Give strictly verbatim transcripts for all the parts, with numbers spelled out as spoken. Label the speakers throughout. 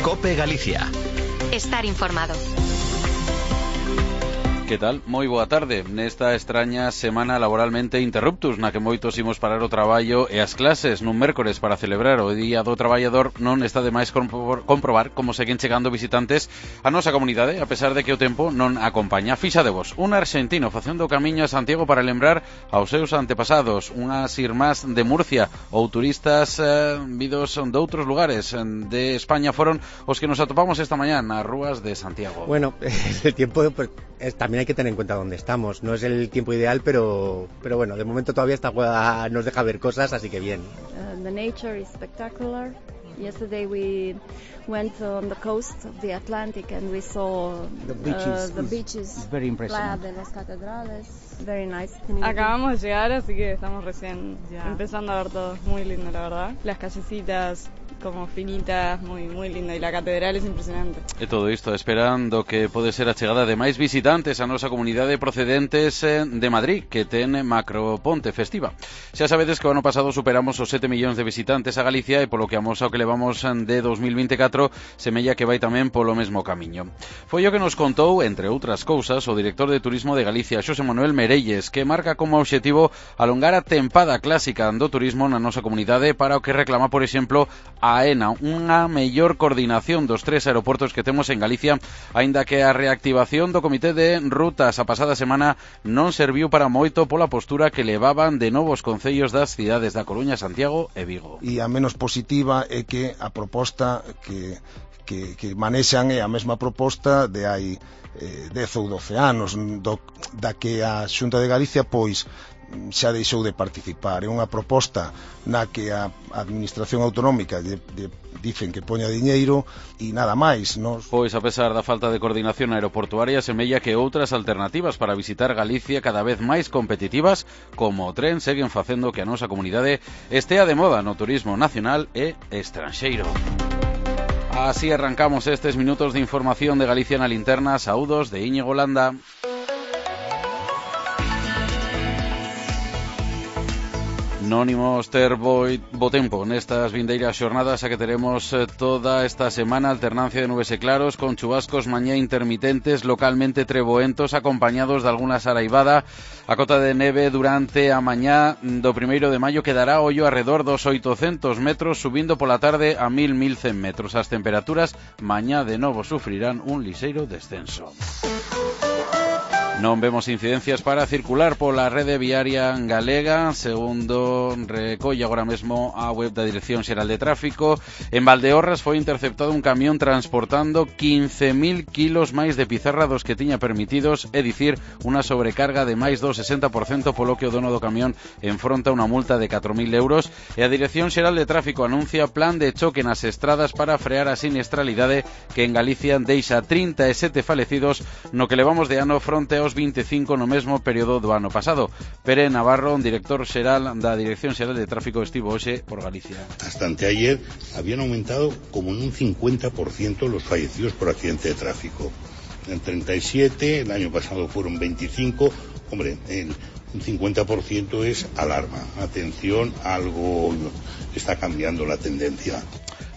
Speaker 1: COPE Galicia.
Speaker 2: Estar informado.
Speaker 3: Que tal? Moi boa tarde. Nesta extraña semana laboralmente interruptus, na que moitos imos parar o traballo e as clases nun mércores para celebrar o Día do Traballador, non está de máis comprobar como seguen chegando visitantes a nosa comunidade, a pesar de que o tempo non acompaña. Fixadevos, un arxentino facendo o camiño a Santiago para lembrar aos seus antepasados, unhas irmás de Murcia ou turistas eh, vidos de outros lugares de España foron os que nos atopamos esta mañá nas rúas de Santiago.
Speaker 4: Bueno, el tiempo pues, es, también hay que tener en cuenta dónde estamos. No es el tiempo ideal, pero, pero bueno, de momento todavía esta juega nos deja ver cosas, así que bien.
Speaker 5: Uh, the nature is spectacular. Yesterday we went on the coast of the Atlantic and we saw
Speaker 6: the beaches.
Speaker 5: Uh, the beaches.
Speaker 6: Very impressive.
Speaker 5: Playa de las Catedrales. Very nice.
Speaker 7: Acabamos de llegar, así que estamos recién yeah. empezando a ver todo. Muy lindo, la verdad. Las callecitas como finitas, muy moi linda, e a catedral é impresionante.
Speaker 3: E todo isto esperando que pode ser a chegada de máis visitantes a nosa comunidade procedentes de Madrid, que ten macroponte festiva. Xa sabedes que o ano pasado superamos os sete millóns de visitantes a Galicia e polo que amosa o que levamos de dos mil vinte e catro semella que vai tamén polo mesmo camiño. Foi o que nos contou, entre outras cousas, o director de Turismo de Galicia, Xosé Manuel Merelles, que marca como obxectivo alongar a tempada clásica do turismo na nosa comunidade para o que reclama, por exemplo, a AENA, unha mellor coordinación dos tres aeroportos que temos en Galicia, aínda que a reactivación do Comité de Rutas a pasada semana non serviu para moito pola postura que levaban de novos concellos das cidades da Coruña, Santiago e Vigo.
Speaker 8: E a menos positiva é que a proposta que, que, que manexan é a mesma proposta de hai eh, dez ou doce anos, do, da que a Xunta de Galicia, pois, xa deixou de participar. É unha proposta na que a Administración Autonómica de, de, dicen que poña diñeiro e nada máis. Nos...
Speaker 3: Pois, a pesar da falta de coordinación aeroportuaria, semella que outras alternativas para visitar Galicia cada vez máis competitivas, como o tren, seguen facendo que a nosa comunidade estea de moda no turismo nacional e estranxeiro. Así arrancamos estes minutos de información de Galicia na linterna. Saúdos de Íñigo Landa. Non imos ter bo, bo tempo nestas vindeiras xornadas a que teremos toda esta semana alternancia de nubes e claros con chubascos mañá intermitentes, localmente treboentos, acompañados de alguna saraivada. A cota de neve durante a mañá do primeiro de maio quedará ollo arredor dos oitocentos metros, subindo pola tarde a mil, mil cen metros. As temperaturas mañá de novo sufrirán un lixeiro descenso. Non vemos incidencias para circular pola rede viaria galega, segundo recolle agora mesmo a web da Dirección Xeral de Tráfico. En Valdeorras foi interceptado un camión transportando quince mil kilos máis de pizarra dos que tiña permitidos, é dicir, unha sobrecarga de máis do sesenta por cento, polo que o dono do camión enfronta unha multa de catro mil euros. E a Dirección Xeral de Tráfico anuncia plan de choque nas estradas para frear a siniestralidade que en Galicia deixa trinta e sete falecidos no que levamos de ano fronte aos vinte e cinco no mesmo período do ano pasado. Pere Navarro, un director xeral da Dirección Xeral de Tráfico, estivo hoxe por Galicia.
Speaker 9: Hasta anteayer habían aumentado como en un cincuenta por ciento los fallecidos por accidente de tráfico. En treinta y siete, el año pasado fueron veinticinco. Hombre, el, un cincuenta por ciento es alarma. Atención, algo está cambiando la tendencia.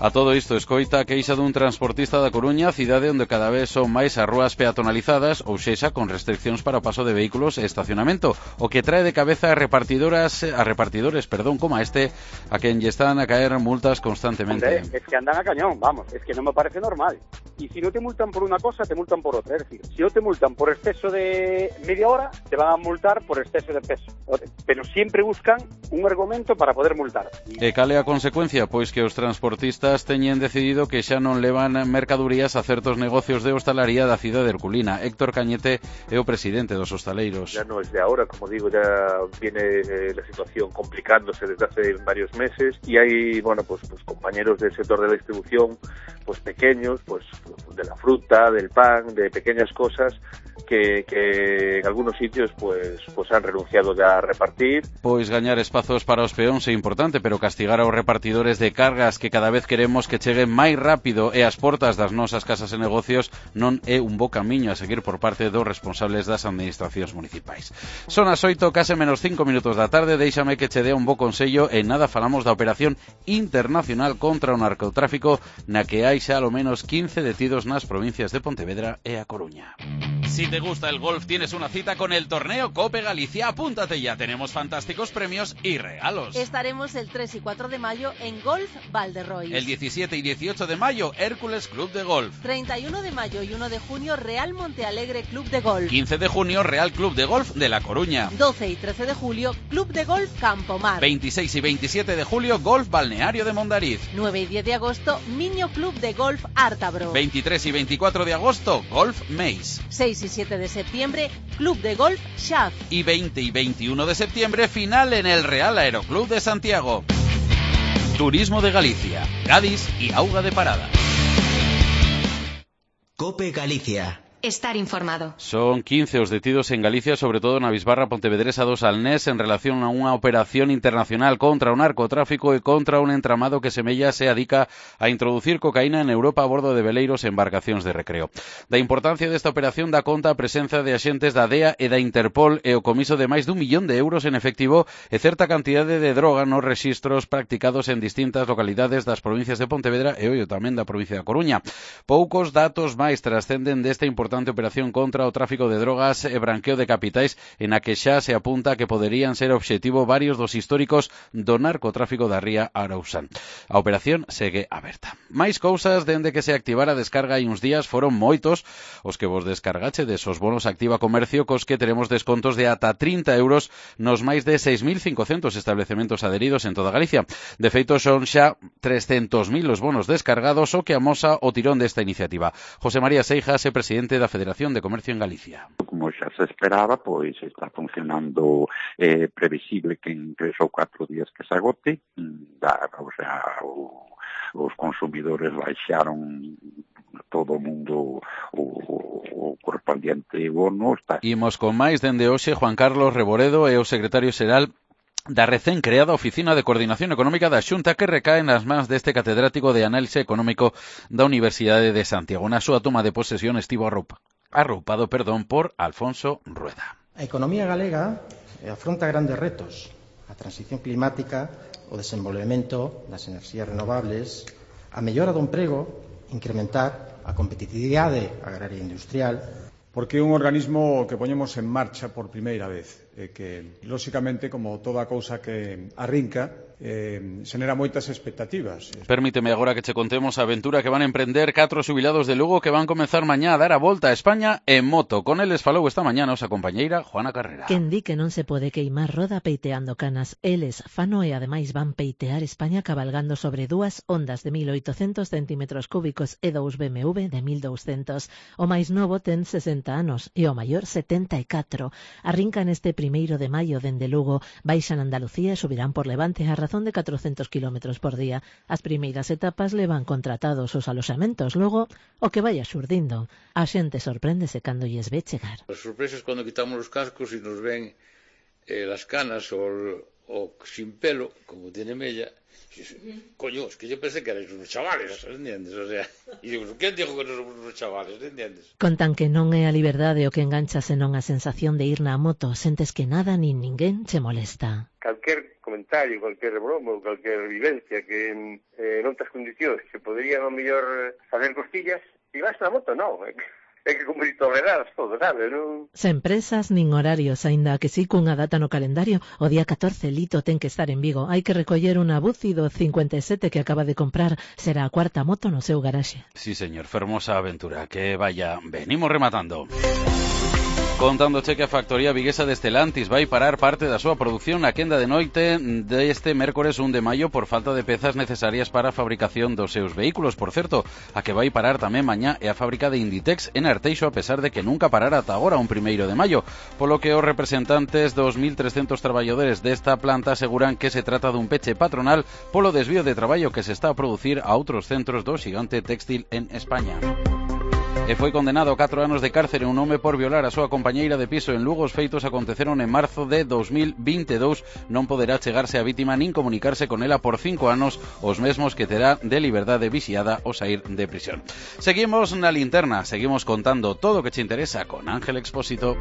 Speaker 3: A todo isto, escoita a queixa dun transportista da Coruña, cidade onde cada vez son máis as rúas peatonalizadas, ou sexa, con restriccións para o paso de vehículos e estacionamento, o que trae de cabeza a repartidoras, a repartidores, perdón, como a este, a quen lle están a caer multas constantemente.
Speaker 10: Hombre, es que andan a cañón, vamos, es que no me parece normal. Y si no te multan por una cosa, te multan por otra. Es decir, si no te multan por exceso de media hora, te van a multar por exceso de peso. Pero siempre buscan un argumento para poder multar.
Speaker 3: E cal é a consecuencia? Pois que os transportistas teñen decidido que xa non levan mercadurías a certos negocios de hostalaría da cidade de Herculina. Héctor Cañete é o presidente dos hostaleiros.
Speaker 11: Ya no es de ahora, como digo, ya viene eh, la situación complicándose desde hace varios meses y hay, bueno, pues, pues compañeros del sector de la distribución, pues pequeños, pues de la fruta, del pan, de pequeñas cosas que, que en algunos sitios pues pues han renunciado ya a repartir.
Speaker 3: Pois gañar espazos para os peóns é importante, pero castigar aos repartidores de cargas que cada vez queremos que cheguen máis rápido e ás portas das nosas casas e negocios non é un bo camiño a seguir por parte dos responsables das administracións municipais. Son as oito, case menos cinco minutos da tarde, déixame que che dea un bo consello. En nada falamos da operación internacional contra o narcotráfico na que hai xa alo menos quince detidos nas provincias de Pontevedra e A Coruña. Si te gusta el golf, tienes una cita con el torneo Cope Galicia. Apúntate ya, tenemos fantásticos premios y regalos.
Speaker 1: Estaremos el tres y cuatro de mayo en Golf Valderrois.
Speaker 3: El diecisiete y dieciocho de mayo, Hércules Club de Golf.
Speaker 1: treinta y uno de mayo y uno de junio, Real Montealegre Club de Golf.
Speaker 3: quince de junio, Real Club de Golf de La Coruña.
Speaker 1: doce y trece de julio, Club de Golf Campomar.
Speaker 3: veintiséis y veintisiete de julio, Golf Balneario de Mondariz.
Speaker 1: nueve y diez de agosto, Miño Club de Golf Ártabro.
Speaker 3: veintitrés y veinticuatro de agosto, Golf Meis.
Speaker 1: seis y siete de septiembre, Club de Golf Xaf.
Speaker 3: Y veinte y veintiuno de septiembre, final en el Real Aeroclub de Santiago. Turismo de Galicia, Cádiz y Auga de Parada.
Speaker 2: Cope Galicia.
Speaker 6: Estar informado.
Speaker 3: Son quince os detidos en Galicia, sobre todo na Bisbarra Pontevedresa do Salnés, en relación a unha operación internacional contra o narcotráfico e contra un entramado que semella se adica a introducir cocaína en Europa a bordo de veleiros e embarcacións de recreo. Da importancia desta operación dá conta a presenza de axentes da D E A e da Interpol e o comiso de máis dun millón de euros en efectivo e certa cantidade de droga nos rexistros practicados en distintas localidades das provincias de Pontevedra e ollo tamén da provincia da Coruña. Poucos datos máis trascenden desta importante importante operación contra o tráfico de drogas e branqueo de capitais en a que xa se apunta que poderían ser obxectivo varios dos históricos do narcotráfico da ría Arausán. A operación segue aberta. Máis cousas dende que se activara a descarga hai uns días foron moitos os que vos descargache desos bonos Activa Comercio cos que teremos descontos de ata trinta euros nos máis de seis mil cincocentos establecementos adheridos en toda Galicia. De feito son xa trescentos mil os bonos descargados, o que amosa o tirón desta iniciativa. José María Seijas é presidente da Federación de Comercio en Galicia.
Speaker 12: Como xa se esperaba, pois está funcionando eh, previsible que en tres ou catro días que se agote, da, o sea, o, os consumidores baixaron todo o mundo o, o correspondiente bono. Está...
Speaker 3: Imos con máis dende hoxe. Juan Carlos Reboredo é o secretario xeral da recén creada Oficina de Coordinación Económica da Xunta, que recae nas mans deste catedrático de Análise Económico da Universidade de Santiago. Na súa toma de posesión estivo arroupa, arroupado perdón, por Alfonso Rueda.
Speaker 13: A economía galega afronta grandes retos: a transición climática, o desenvolvemento das enerxías renovables, a mellora do emprego, incrementar a competitividade agraria e industrial.
Speaker 14: Porque é un organismo que poñemos en marcha por primeira vez e que, lóxicamente, como toda cousa que arrinca, eh, xenera moitas expectativas.
Speaker 3: Permíteme agora que che contemos a aventura que van a emprender catro xubilados de Lugo que van comenzar mañá a dar a volta a España en moto. Con eles falou esta mañá a nosa compañeira Juana Carrera.
Speaker 15: Quen di que non se pode queimar roda peiteando canas. Eles fano e ademais van peitear España cabalgando sobre dúas ondas de mil oitocentos centímetros cúbicos e dous B M W de mil douscentos. O máis novo ten sesenta anos e o maior setenta e catro. Arrincan este primeiro de maio dende Lugo, baixan Andalucía e subirán por Levante a razón de catrocentos kilómetros por día. As primeiras etapas levan contratados os aloxamentos, logo o que vaya xurdindo. A xente sorpréndese cando lles ve chegar.
Speaker 16: As sorpresas cando quitamos os cascos e nos ven eh, las canas o, o sin pelo, como tiene Mella. Coño, es que yo pensé que erais unos chavales, ¿entiendes? O sea, y digo, ¿quién dijo que no somos unos chavales, ¿entiendes?
Speaker 15: Contan que non é a liberdade o que engancha senón a sensación de ir na moto, sentes que nada nin ninguén che molesta.
Speaker 11: Calquer comentario, calquer broma ou calquer vivencia que eh, non tas condicións que poderían ao mellor facer costillas, e vas na moto, non, é que cumprir tolerar todo, sabes, non?
Speaker 15: Sen presas nin horarios, aínda que si cunha data no calendario, o día catorce Lito ten que estar en Vigo. Hai que recoller unha Buzi do cincuenta e sete que acaba de comprar. Será a cuarta moto no seu garaxe.
Speaker 3: Sí, señor, fermosa aventura. Que vaya, venimos rematando. Contándoche que a factoría viguesa de Estelantis vai parar parte da súa produción na quenda de noite deste mércores un de maio por falta de pezas necesarias para a fabricación dos seus vehículos. Por certo, a que vai parar tamén mañá é a fábrica de Inditex en Arteixo, a pesar de que nunca parara ata agora un primeiro de maio, polo que os representantes dos mil trescentos traballadores desta planta aseguran que se trata dun peche patronal polo desvío de traballo que se está a producir a outros centros do xigante textil en España. e foi condenado a catro anos de cárcere un home por violar a súa compañeira de piso en Lugo. Os feitos aconteceron en marzo de dos mil vinte e dous. Non poderá chegarse á vítima nin comunicarse con ela por cinco anos, os mesmos que terá de liberdade vixiada ao saír de prisión. Seguimos na linterna, seguimos contando todo o que che interesa con Ángel Expósito.